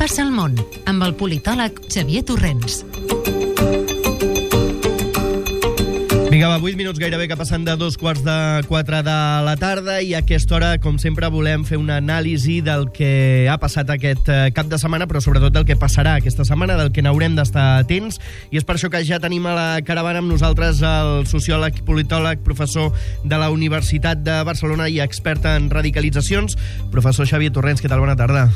passa al món, amb el politòleg Xavier Torrents. Vinga, va, 8 minuts gairebé que passen de 3:45 de la tarda i a aquesta hora, com sempre, volem fer una anàlisi del que ha passat aquest cap de setmana, però sobretot del que passarà aquesta setmana, del que n'haurem d'estar atents, i és per això que ja tenim a la caravana amb nosaltres el sociòleg, politòleg, professor de la Universitat de Barcelona i expert en radicalitzacions, professor Xavier Torrents. Què tal? Bona tarda.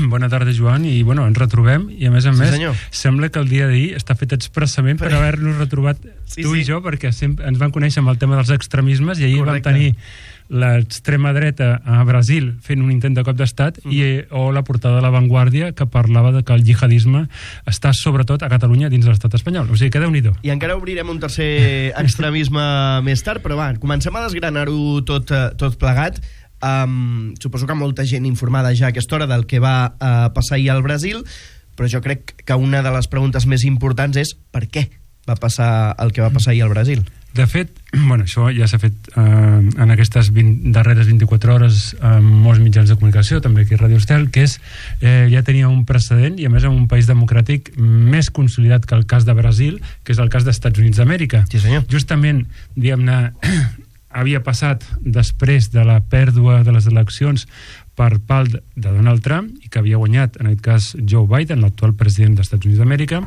Bona tarda, Joan, i ens retrobem, i a més, senyor. Sembla que el dia d'ahir està fet expressament per haver-nos retrobat tu i jo, perquè ens van conèixer amb el tema dels extremismes, i ahir vam tenir l'extrema dreta a Brasil fent un intent de cop d'estat o la portada de La Vanguardia que parlava de que el jihadisme està sobretot a Catalunya dins de l'estat espanyol. O sigui, que Déu-n'hi-do. I encara obrirem un tercer extremisme més tard, però va, comencem a desgranar-ho tot plegat. Suposo que molta gent informada ja a aquesta hora del que va passar ahir al Brasil, però jo crec que una de les preguntes més importants és per què va passar el que va passar ahir al Brasil. De fet, això ja s'ha fet en aquestes darreres 24 hores en molts mitjans de comunicació, també aquí a Radio Estel, que és, ja tenia un precedent, i a més en un país democràtic més consolidat que el cas de Brasil, que és el cas dels Estats Units d'Amèrica. Sí, senyor. Justament, diguem-ne, havia passat després de la pèrdua de les eleccions per part de Donald Trump, i que havia guanyat, en aquest cas, Joe Biden, l'actual president dels Estats Units d'Amèrica,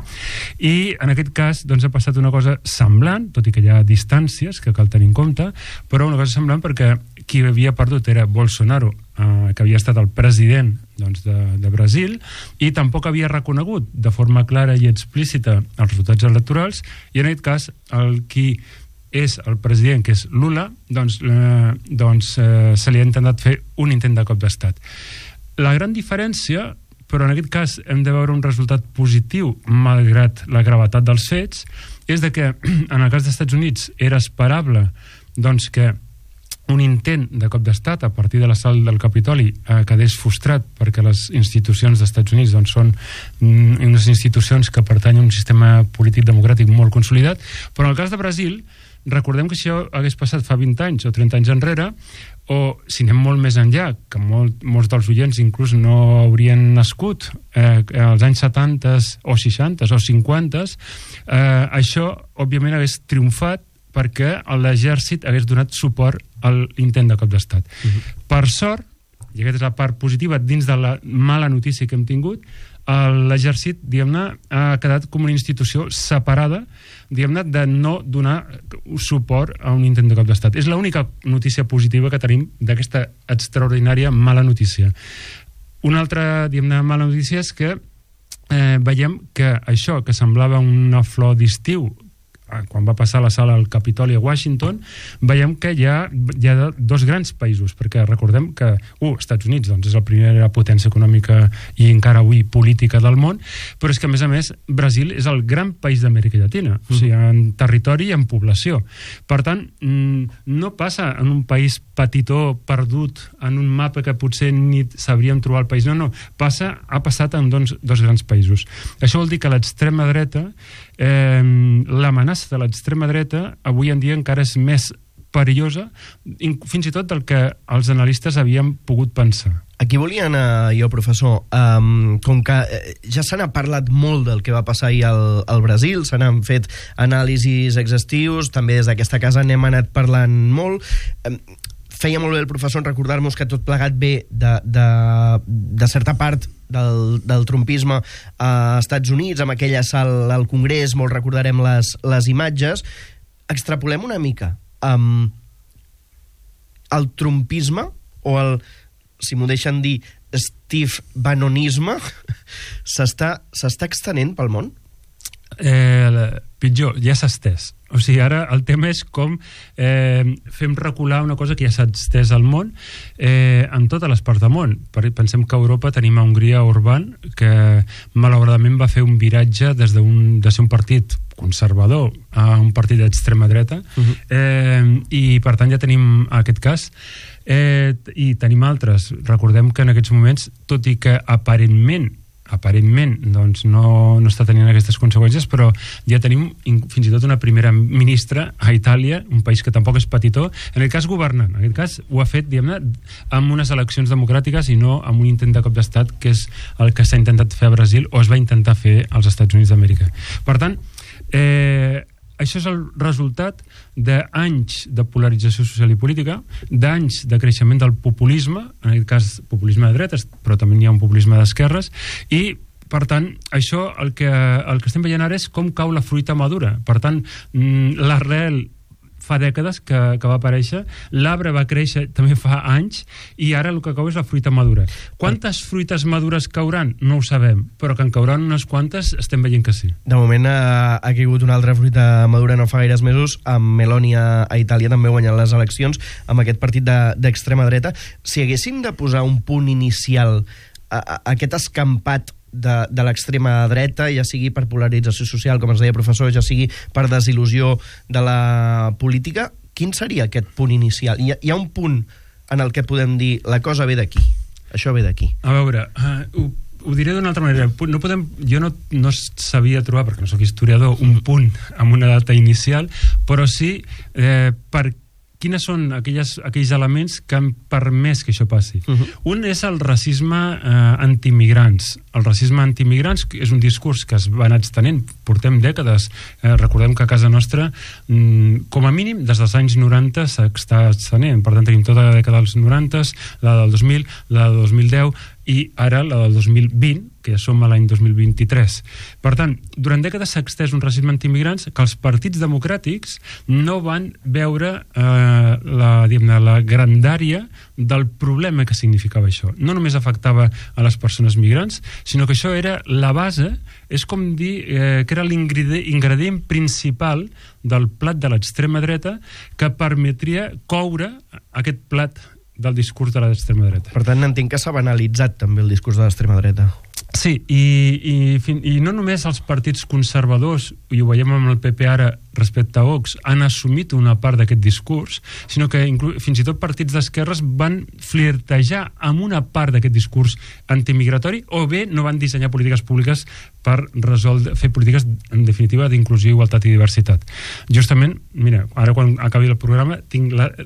i en aquest cas ha passat una cosa semblant, tot i que hi ha distàncies que cal tenir en compte, però una cosa semblant perquè qui havia perdut era Bolsonaro, que havia estat el president de Brasil, i tampoc havia reconegut de forma clara i explícita els resultats electorals, i en aquest cas qui és el president, que és Lula, se li ha intentat fer un intent de cop d'estat. La gran diferència, però en aquest cas hem de veure un resultat positiu malgrat la gravetat dels fets, és de que en el cas dels Estats Units era esperable que un intent de cop d'estat a partir de l'assalt del Capitoli quedés frustrat, perquè les institucions dels Estats Units són unes institucions que pertanyen a un sistema polític democràtic molt consolidat, però en el cas de Brasil recordem que això hagués passat fa 20 anys o 30 anys enrere, o si anem molt més enllà, que molts dels oients inclús no haurien nascut als anys 70 o 60 o 50, això òbviament hagués triomfat perquè l'exèrcit hagués donat suport a l'intent de cop d'estat. Per sort, i aquesta és la part positiva dins de la mala notícia que hem tingut, l'exèrcit, diguem-ne, ha quedat com una institució separada, diguem-ne, de no donar suport a un intent de cop d'estat. És l'única notícia positiva que tenim d'aquesta extraordinària mala notícia. Una altra, diguem-ne, mala notícia és que veiem que això, que semblava una flor d'estiu, quan va passar l'assalt al Capitoli a Washington, veiem que hi ha dos grans països, perquè recordem que Estats Units és la primera potència econòmica i encara avui política del món, però és que a més Brasil és el gran país d'Amèrica Llatina, o sigui, en territori i en població. Per tant, no passa en un país petitó, perdut, en un mapa que potser ni sabríem trobar el país, no, ha passat en dos grans països. Això vol dir que l'extrema dreta, l'amenaça de l'extrema dreta avui en dia encara és més perillosa, fins i tot del que els analistes havien pogut pensar. Aquí volia anar jo, professor. Com que ja se n'ha parlat molt del que va passar ahir al Brasil, se n'han fet anàlisis exhaustius, també des d'aquesta casa n'hem anat parlant molt. Feia molt bé el professor en recordar-nos que tot plegat ve de certa part del trumpisme a Estats Units, amb aquell assalt al Congrés, molt recordarem les imatges. Extrapolem una mica. El trumpisme, o el, si m'ho deixen dir, Steve Bannonisme, s'està extenent pel món? Pitjor, ja s'ha estès. O sigui, ara el tema és com fem recular una cosa que ja s'ha estès al món en totes les parts del món. Pensem que a Europa tenim a Hongria Orbán, que malauradament va fer un viratge de ser un partit conservador a un partit d'extrema dreta, i per tant ja tenim aquest cas, i tenim altres. Recordem que en aquests moments, tot i que aparentment aparentment doncs, no està tenint aquestes conseqüències, però ja tenim fins i tot una primera ministra a Itàlia, un país que tampoc és petitó, en aquest cas governant. En aquest cas ho ha fet, diguem-ne, amb unes eleccions democràtiques i no amb un intent de cop d'estat, que és el que s'ha intentat fer a Brasil o es va intentar fer als Estats Units d'Amèrica. Per tant, això és el resultat d'anys de polarització social i política, d'anys de creixement del populisme, en aquest cas populisme de dretes, però també hi ha un populisme d'esquerres, i per tant, això el que estem veient ara és com cau la fruita madura. Per tant, l'arrel fa dècades que va aparèixer, l'arbre va créixer també fa anys, i ara el que cau és la fruita madura. Quantes fruites madures cauran? No ho sabem, però que en cauran unes quantes estem veient que sí. De moment ha caigut una altra fruita madura no fa gaires mesos, amb Meloni a Itàlia també guanyant les eleccions, amb aquest partit d'extrema dreta. Si haguéssim de posar un punt inicial a aquest escampat de l'extrema dreta, ja sigui per polarització social, com ens deia professor, ja sigui per desil·lusió de la política, quin seria aquest punt inicial? Hi ha un punt en el que podem dir la cosa ve d'aquí, això ve d'aquí. A veure, ho diré d'una altra manera. Jo no sabia trobar, perquè no sóc historiador, un punt amb una data inicial, però sí per quines són aquells elements que han permès que això passi. Un és el racisme antimigrants. El racisme antimigrants és un discurs que es va anar extenent, portem dècades. Recordem que a casa nostra, com a mínim, des dels anys 90 s'està extenent. Per tant, tenim tota la dècada dels 90, la del 2000, la del 2010 i ara la del 2020, que ja som a l'any 2023. Per tant, durant dècades s'ha extès un racisme antimigrants que els partits democràtics no van veure la grandària del problema que significava això. No només afectava a les persones migrants, sinó que això era la base, és com dir que era l'ingredient principal del plat de l'extrema dreta que permetria coure aquest plat del discurs de l'extrema dreta. Per tant, entenc que s'ha banalitzat també el discurs de l'extrema dreta. Sí, i no només els partits conservadors, i ho veiem amb el PP ara respecte a Vox, han assumit una part d'aquest discurs, sinó que fins i tot partits d'esquerres van flirtejar amb una part d'aquest discurs antimigratori, o bé no van dissenyar polítiques públiques per fer polítiques, en definitiva, d'inclusió, igualtat i diversitat. Justament, mira, ara quan acabi el programa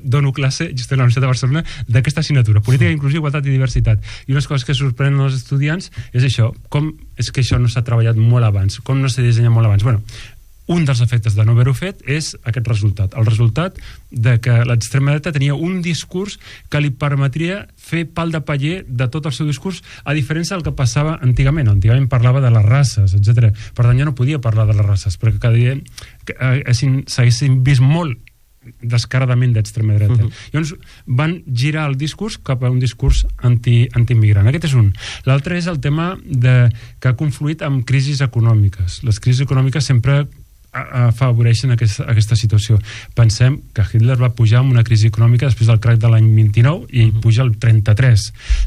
dono classe just a la Universitat de Barcelona d'aquesta assignatura, política d'inclusió, igualtat i diversitat. I unes coses que sorprenen els estudiants és això, com és que això no s'ha treballat molt abans, com no s'ha dissenyat molt abans. Bueno, un dels efectes de no haver-ho fet és aquest resultat. El resultat de que l'extrema dreta tenia un discurs que li permetria fer pal de paller de tot el seu discurs, a diferència del que passava antigament. Antigament parlava de les races, etc. Per tant, ja no podia parlar de les races, perquè cada dia s'haguessin vist molt descaradament d'extrema dreta. Llavors van girar el discurs cap a un discurs antiimmigrant. Aquest és un. L'altre és el tema que ha confluït amb crisis econòmiques. Les crisis econòmiques sempre afavoreixen aquesta situació. Pensem que Hitler va pujar amb una crisi econòmica després del crac de l'any 29 i puja al 33.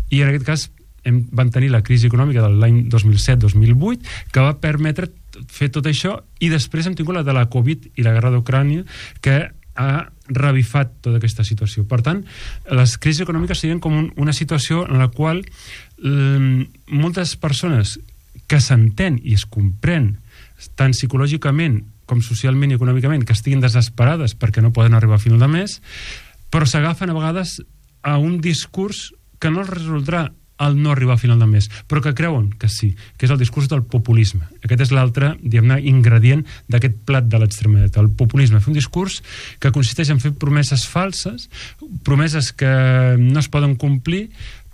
I en aquest cas van tenir la crisi econòmica de l'any 2007-2008 que va permetre fer tot això, i després hem tingut la de la Covid i la guerra d'Ucrània que ha revifat tota aquesta situació. Per tant, les crisis econòmiques serien com una situació en la qual moltes persones que s'entén i es comprèn tant psicològicament com socialment i econòmicament, que estiguin desesperades perquè no poden arribar a final de mes, però s'agafen a vegades a un discurs que no els resoldrà el no arribar a final de mes, però que creuen que sí, que és el discurs del populisme. Aquest és l'altre, diguem-ne, ingredient d'aquest plat de l'extrema dreta, el populisme. Fer un discurs que consisteix en fer promeses falses, promeses que no es poden complir,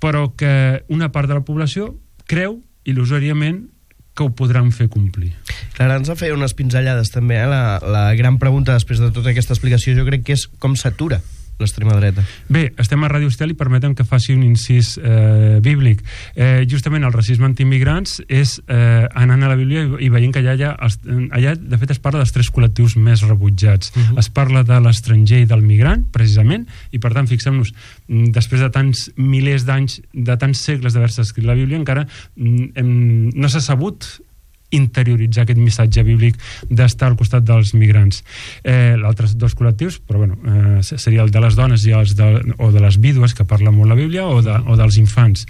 però que una part de la població creu il·lusòriament que ho podran fer complir. Clara, ens ha fet unes pinzellades també, la gran pregunta després de tota aquesta explicació jo crec que és com s'atura l'extrema dreta. Bé, estem a Ràdio Estel i permetem que faci un incís bíblic. Justament el racisme antiimmigrants és anant a la Bíblia i veient que allà de fet es parla dels 3 col·lectius més rebutjats. Es parla de l'estranger i del migrant, precisament, i per tant fixem-nos, després de tants milers d'anys, de tants segles d'haver-se escrit la Bíblia, encara no s'ha sabut interioritzar aquest missatge bíblic d'estar al costat dels migrants. L'altres 2 col·lectius, però bueno, seria el de les dones o de les vídues, que parla molt la Bíblia, o dels infants.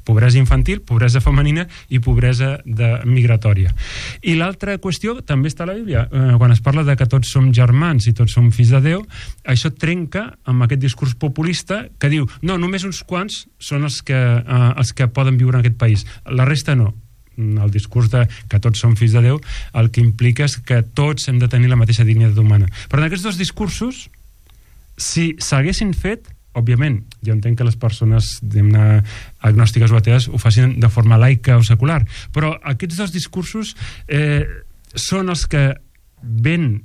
pobresa infantil, pobresa femenina i pobresa migratòria. I l'altra qüestió també està a la Bíblia. Quan es parla de que tots som germans i tots som fills de Déu, això trenca amb aquest discurs populista que diu, no, només uns quants són els que poden viure en aquest país, la resta no. El discurs de que tots som fills de Déu el que implica és que tots hem de tenir la mateixa dignitat humana. Però en aquests dos discursos, si s'haguessin fet, òbviament, jo entenc que les persones agnòstiques o atees ho facin de forma laica o secular, però aquests dos discursos són els que ben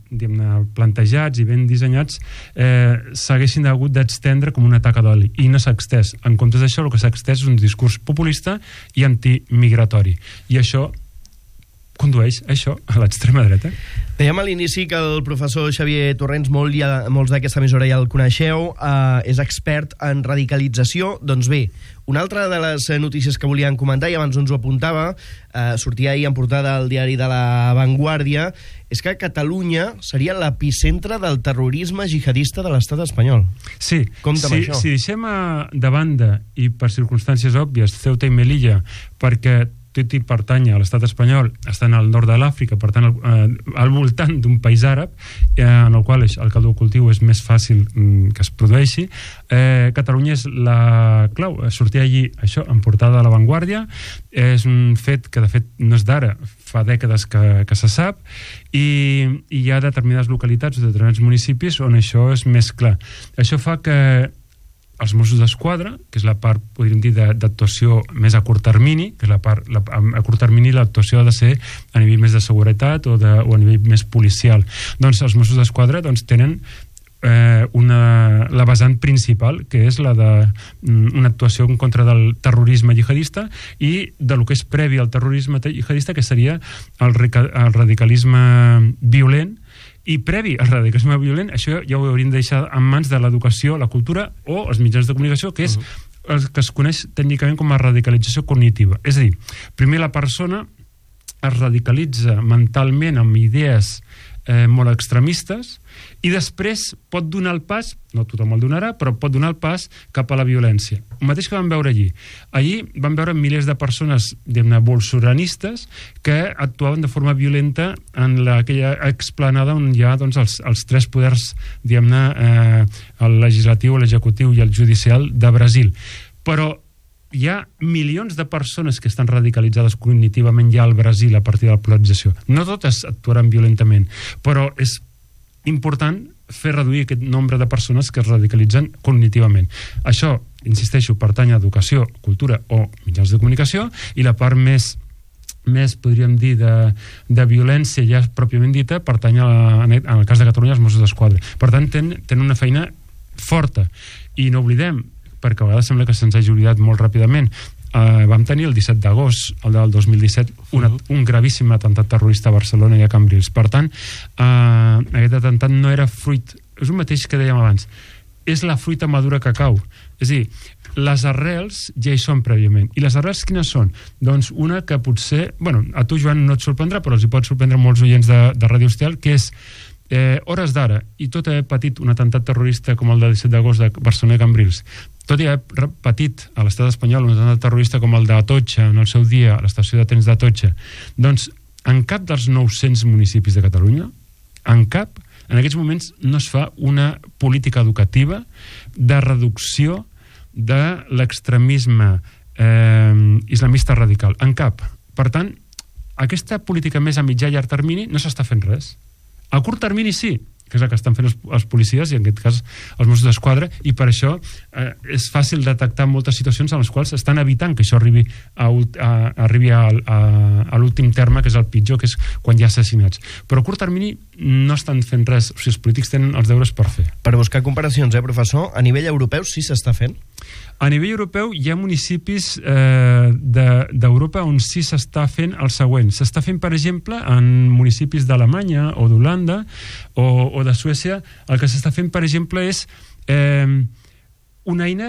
plantejats i ben dissenyats s'haguessin hagut d'extendre com una taca d'oli, i no s'ha extès. En comptes d'això, el que s'ha extès és un discurs populista i antimigratori, i això condueix això a l'extrema dreta. Dèiem a l'inici que el professor Xavier Torrents, molts d'aquesta emissora ja el coneixeu, és expert en radicalització. Doncs bé, una altra de les notícies que volíem comentar, i abans ens ho apuntava, sortia ahir en portada al diari de La Vanguardia, és que Catalunya seria l'epicentre del terrorisme jihadista de l'estat espanyol. Sí, això. Si deixem de banda, i per circumstàncies òbvies, Ceuta i Melilla, perquè tot i pertany a l'estat espanyol, estan al nord de l'Àfrica, per tant, al voltant d'un país àrab, en el qual el caldo cultiu és més fàcil que es produeixi. Catalunya és la clau. Sortia allí això, en portada de La Vanguardia. És un fet que, de fet, no és d'ara, fa dècades que se sap, i hi ha determinades localitats o determinats municipis on això és més clar. Això fa que els Mossos d'Esquadra, que és la part, podríem dir, d'actuació més a curt termini, que és la part, a curt termini l'actuació ha de ser a nivell més de seguretat o a nivell més policial. Doncs els Mossos d'Esquadra tenen la vessant principal, que és la d'una actuació en contra del terrorisme jihadista i de lo que és previ al terrorisme jihadista, que seria el radicalisme violent. I previ al radicalisme violent, això ja ho hauríem de deixar en mans de l'educació, la cultura o els mitjans de comunicació, que és el que es coneix tècnicament com a radicalització cognitiva. És a dir, primer la persona es radicalitza mentalment amb idees molt extremistes i després pot donar el pas, no tothom el donarà, però pot donar el pas cap a la violència. El mateix que vam veure allí. Allí vam veure milers de persones, diguem-ne, bolsoranistes que actuaven de forma violenta en aquella explanada on hi ha els tres poders, diguem-ne, el legislatiu, l'executiu i el judicial de Brasil. Però hi ha milions de persones que estan radicalitzades cognitivament ja al Brasil a partir de la polarització. No totes actuaran violentament, però és important fer reduir aquest nombre de persones que es radicalitzen cognitivament. Això, insisteixo, pertany a educació, cultura o mitjans de comunicació, i la part més podríem dir, de violència ja pròpiament dita, pertany en el cas de Catalunya als Mossos d'Esquadra. Per tant, tenen una feina forta. I no oblidem, perquè a vegades sembla que se'ns hagi oblidat molt ràpidament, vam tenir el 17 d'agost, el del 2017, un gravíssim atemptat terrorista a Barcelona i a Cambrils. Per tant, aquest atemptat no era fruit, és el mateix que dèiem abans, és la fruita madura que cau. És a dir, les arrels ja hi són prèviament. I les arrels quines són? Doncs una que potser, a tu, Joan, no et sorprendrà, però els hi pot sorprendre molts oients de Ràdio Hostal, que és hores d'ara, i tot haver patit un atemptat terrorista com el del 17 d'agost de Barcelona i Cambrils, tot i haver patit a l'estat espanyol un atemptat terrorista com el d'Atocha en el seu dia, a l'estació de trens d'Atocha, doncs en cap dels 900 municipis de Catalunya, en aquests moments no es fa una política educativa de reducció de l'extremisme islamista radical. En cap. Per tant, aquesta política més a mitjà i llarg termini no s'està fent res. A curt termini sí, que és el que estan fent els policies i en aquest cas els Mossos d'Esquadra, i per això és fàcil detectar moltes situacions en les quals estan evitant que això arribi a l'últim terme, que és el pitjor, que és quan hi ha assassinats. Però a curt termini no estan fent res. O sigui, els polítics tenen els deures per fer. Per buscar comparacions, professor, a nivell europeu sí s'està fent? A nivell europeu hi ha municipis d'Europa on sí s'està fent el següent. S'està fent, per exemple, en municipis d'Alemanya o d'Holanda o de Suècia. El que s'està fent, per exemple, és una eina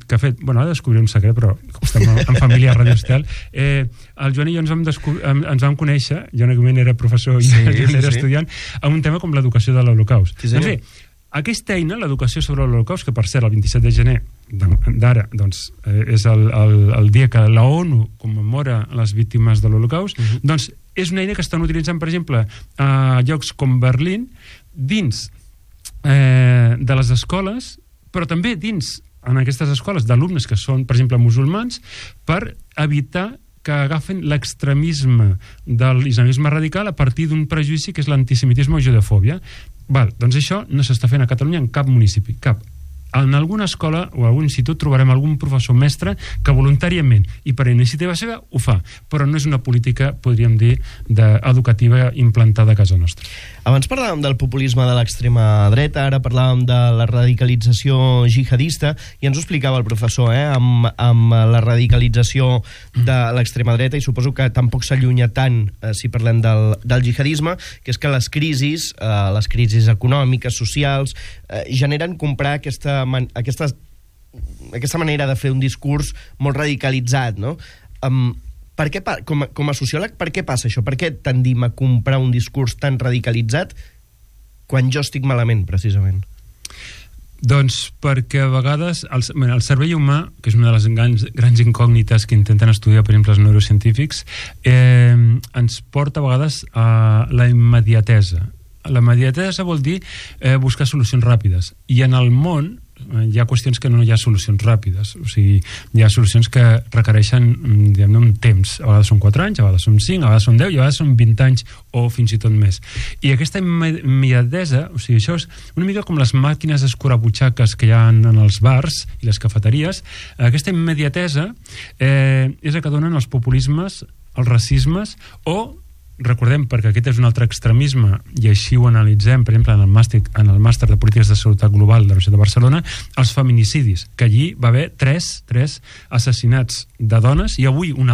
que ha fet... Ara descobriré un secret, però estem en família a Ràdio Hostal. El Joan i jo ens vam conèixer, jo en aquell moment era professor i Joan era estudiant, en un tema com l'educació de l'Holocaust. Doncs bé, aquesta eina, l'educació sobre l'Holocaust, que per cert el 27 de gener d'ara, doncs, és el dia que la ONU commemora les víctimes de l'Holocaust, doncs és una eina que estan utilitzant, per exemple, a llocs com Berlín, dins de les escoles, però també dins en aquestes escoles d'alumnes que són, per exemple, musulmans, per evitar que agafen l'extremisme de l'islamisme radical a partir d'un prejudici que és l'antisemitisme o judefòbia. Doncs això no s'està fent a Catalunya en cap municipi, cap. En alguna escola o algun institut trobarem algun professor mestre que voluntàriament i per iniciativa seva ho fa, però no és una política, podríem dir, educativa implantada a casa nostra. Abans parlàvem del populisme de l'extrema dreta, ara parlàvem de la radicalització jihadista, i ens ho explicava el professor, amb la radicalització de l'extrema dreta, i suposo que tampoc s'allunya tant, si parlem del jihadisme, que és que les crisis econòmiques, socials, generen comprar aquesta manera de fer un discurs molt radicalitzat, no? Per què, com a sociòleg, per què passa això? Per què tendim a comprar un discurs tan radicalitzat quan jo estic malament, precisament? Doncs perquè a vegades el cervell humà, que és una de les grans incògnites que intenten estudiar, per exemple, els neurocientífics, ens porta a vegades a la immediatesa. La immediatesa vol dir buscar solucions ràpides, i en el món hi ha qüestions que no hi ha solucions ràpides, o sigui, hi ha solucions que requereixen, diguem-ne, un temps. A vegades són 4 anys, a vegades són 5, a vegades són 10 i a vegades són 20 anys o fins i tot més. I aquesta immediatesa, o sigui, això és una mica com les màquines escurabutxaques que hi ha en els bars i les cafeteries. Aquesta immediatesa és la que donen els populismes, els racismes, o recordem, perquè aquest és un altre extremisme i així ho analitzem, per exemple, en el màster de polítiques de salut global de la Universitat de Barcelona, els feminicidis, que allí va haver 3 assassinats de dones, i avui un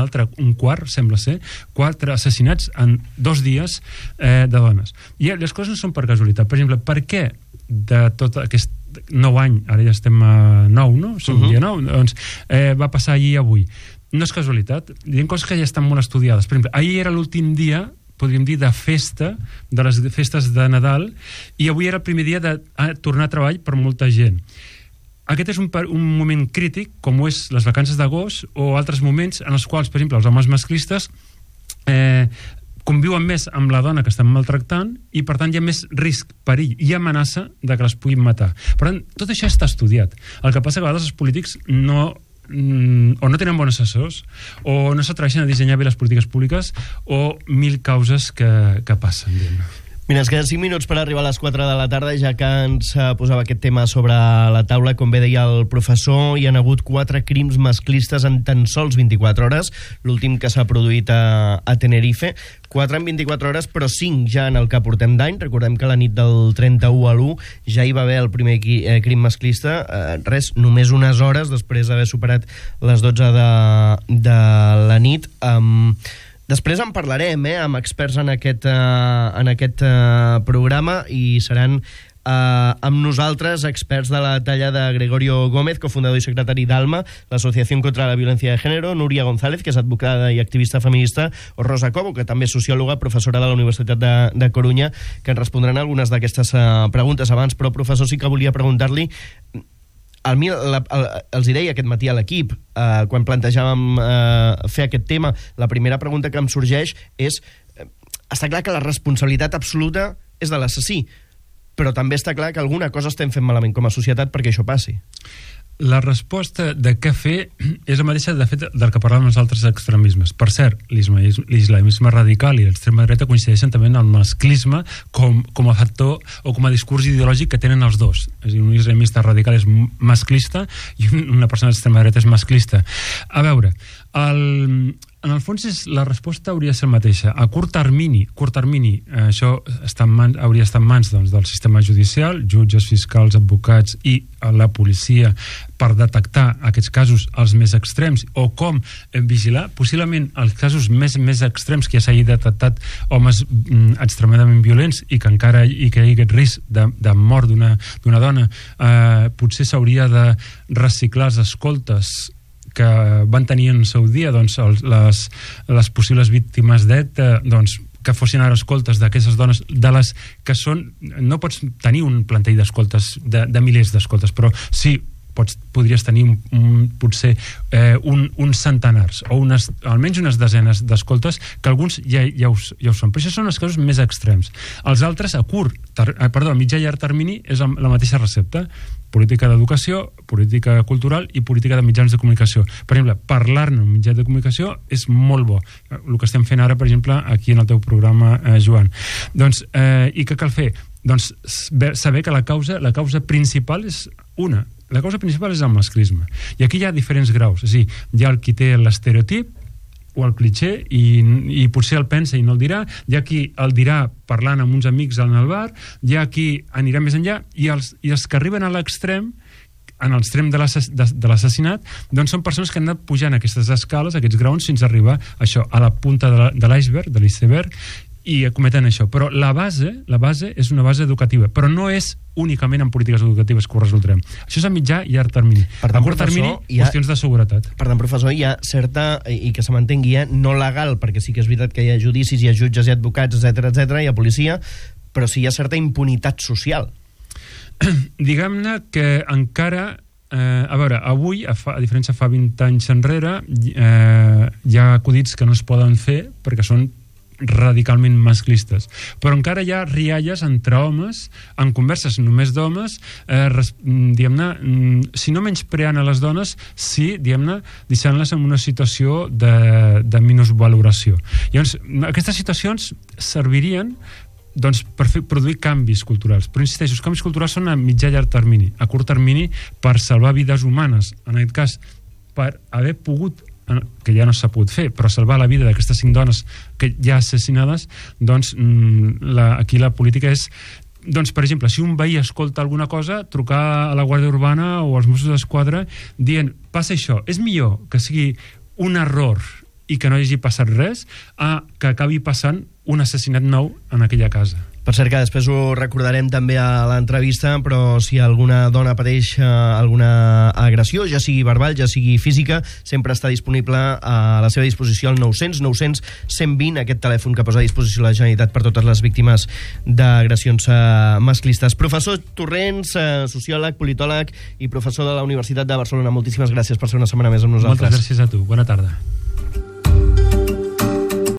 quart, sembla ser, 4 assassinats en 2 dies de dones. I les coses no són per casualitat. Per exemple, per què de tot aquest 9 anys, ara ja estem a 9, no? Som dia 9, doncs va passar ahir i avui. No és casualitat, hi ha coses que ja estan molt estudiades. Per exemple, ahir era l'últim dia, podríem dir, de festa, de les festes de Nadal, i avui era el primer dia de tornar a treball per molta gent. Aquest és un moment crític, com ho és les vacances d'agost o altres moments en els quals, per exemple, els homes masclistes conviuen més amb la dona que estan maltractant, i per tant hi ha més risc, perill i amenaça de que les puguin matar. Per tant, tot això està estudiat. El que passa que a vegades els polítics o no tenen bons assessors, o no s'atreveixen a dissenyar bé les polítiques públiques, o 1000 causes que passen. Mira, ens queden 5 minuts per arribar a les 4 de la tarda, ja que ens posava aquest tema sobre la taula. Com bé deia el professor, hi ha hagut 4 crims masclistes en tan sols 24 hores, l'últim que s'ha produït a Tenerife. 4 en 24 hores, però 5 ja en el que portem d'any. Recordem que la nit del 31 a l'1 ja hi va haver el primer crim masclista, només unes hores després d'haver superat les 12 de la nit. Després en parlarem amb experts en aquest programa, i seran amb nosaltres experts de la talla de Gregorio Gómez, cofundador i secretari d'ALMA, l'Associació contra la Violència de Género, Núria González, que és advocada i activista feminista, o Rosa Cobo, que també és sociòloga, professora de la Universitat de Corunya, que ens respondran algunes d'aquestes preguntes abans. Però, professor, sí que volia preguntar-li, els hi deia aquest matí a l'equip, quan plantejàvem fer aquest tema, la primera pregunta que em sorgeix és, està clar que la responsabilitat absoluta és de l'assassí, però també està clar que alguna cosa estem fent malament com a societat perquè això passi. La resposta de què fer és la mateixa, de fet, del que parlàvem els altres extremismes. Per cert, l'islamisme radical i l'extrema dreta coincideixen també en el masclisme com a factor o com a discurs ideològic que tenen els dos. És a dir, un islamista radical és masclista i una persona d'extrema dreta és masclista. A veure, en el fons la resposta hauria de ser la mateixa. A curt termini, això hauria d'estar en mans del sistema judicial, jutges, fiscals, advocats i la policia, per detectar aquests casos els més extrems, o com vigilar possiblement els casos més extrems que ja s'hagi detectat, homes extremadament violents i que encara hi hagi aquest risc de mort d'una dona. Potser s'hauria de reciclar els escoltes que van tenir en el seu dia les possibles víctimes d'ETA, que fossin ara escoltes d'aquestes dones, de les que són... No pots tenir un plantell d'escoltes, de milers d'escoltes, però sí podries tenir potser uns centenars o almenys unes desenes d'escoltes, que alguns ja ho són, però això són els casos més extrems. Els altres a mitjà i llarg termini és la mateixa recepta: política d'educació, política cultural i política de mitjans de comunicació. Per exemple, parlar-ne en un mitjà de comunicació és molt bo, el que estem fent ara, per exemple, aquí en el teu programa, Joan. Doncs, i què cal fer? Doncs saber que la causa principal és una. La causa principal és el masclisme. I aquí hi ha diferents graus. És a dir, hi ha el qui té l'estereotip o el cliché i potser el pensa i no el dirà, hi ha qui el dirà parlant amb uns amics en el bar, hi ha qui anirà més enllà, i els que arriben a l'extrem, en l'extrem de l'assassinat, doncs són persones que han anat pujant aquestes escales, aquests graons, fins a arribar això, a la punta de l'iceberg, de l'iceberg, i cometen això. Però la base és una base educativa, però no és únicament en polítiques educatives que ho resoldrem. Això és a mitjà i llarg termini. A curt termini, qüestions de seguretat. Per tant, professor, hi ha certa, i que se m'entengui, no legal, perquè sí que és veritat que hi ha judicis, hi ha jutges i advocats, etc, hi ha policia, però sí hi ha certa impunitat social. Diguem-ne que encara... a veure, avui, a diferència fa 20 anys enrere, hi ha acudits que no es poden fer perquè són radicalment masclistes, però encara hi ha rialles entre homes, en converses només d'homes, diguem-ne, si no menyspreant a les dones, sí, diguem-ne, deixant-les en una situació de minusvaloració. Llavors, aquestes situacions servirien doncs, per produir canvis culturals, però insisteixo, els canvis culturals són a mitjà i llarg termini. A curt termini, per salvar vides humanes, en aquest cas, per haver pogut, que ja no s'ha pogut fer, però salvar la vida d'aquestes 5 dones que ja assassinades, doncs aquí la política és, doncs, per exemple, si un veí escolta alguna cosa, trucar a la Guàrdia Urbana o als Mossos d'Esquadra dient, passa això, és millor que sigui un error i que no hagi passat res a que acabi passant un assassinat nou en aquella casa. Per cert, que després ho recordarem també a l'entrevista, però si alguna dona pateix alguna agressió, ja sigui verbal, ja sigui física, sempre està disponible a la seva disposició el 900-900-120, aquest telèfon que posa a disposició la Generalitat per totes les víctimes d'agressions masclistes. Professor Torrents, sociòleg, politòleg i professor de la Universitat de Barcelona, moltíssimes gràcies per ser una setmana més amb nosaltres. Moltes gràcies a tu. Bona tarda.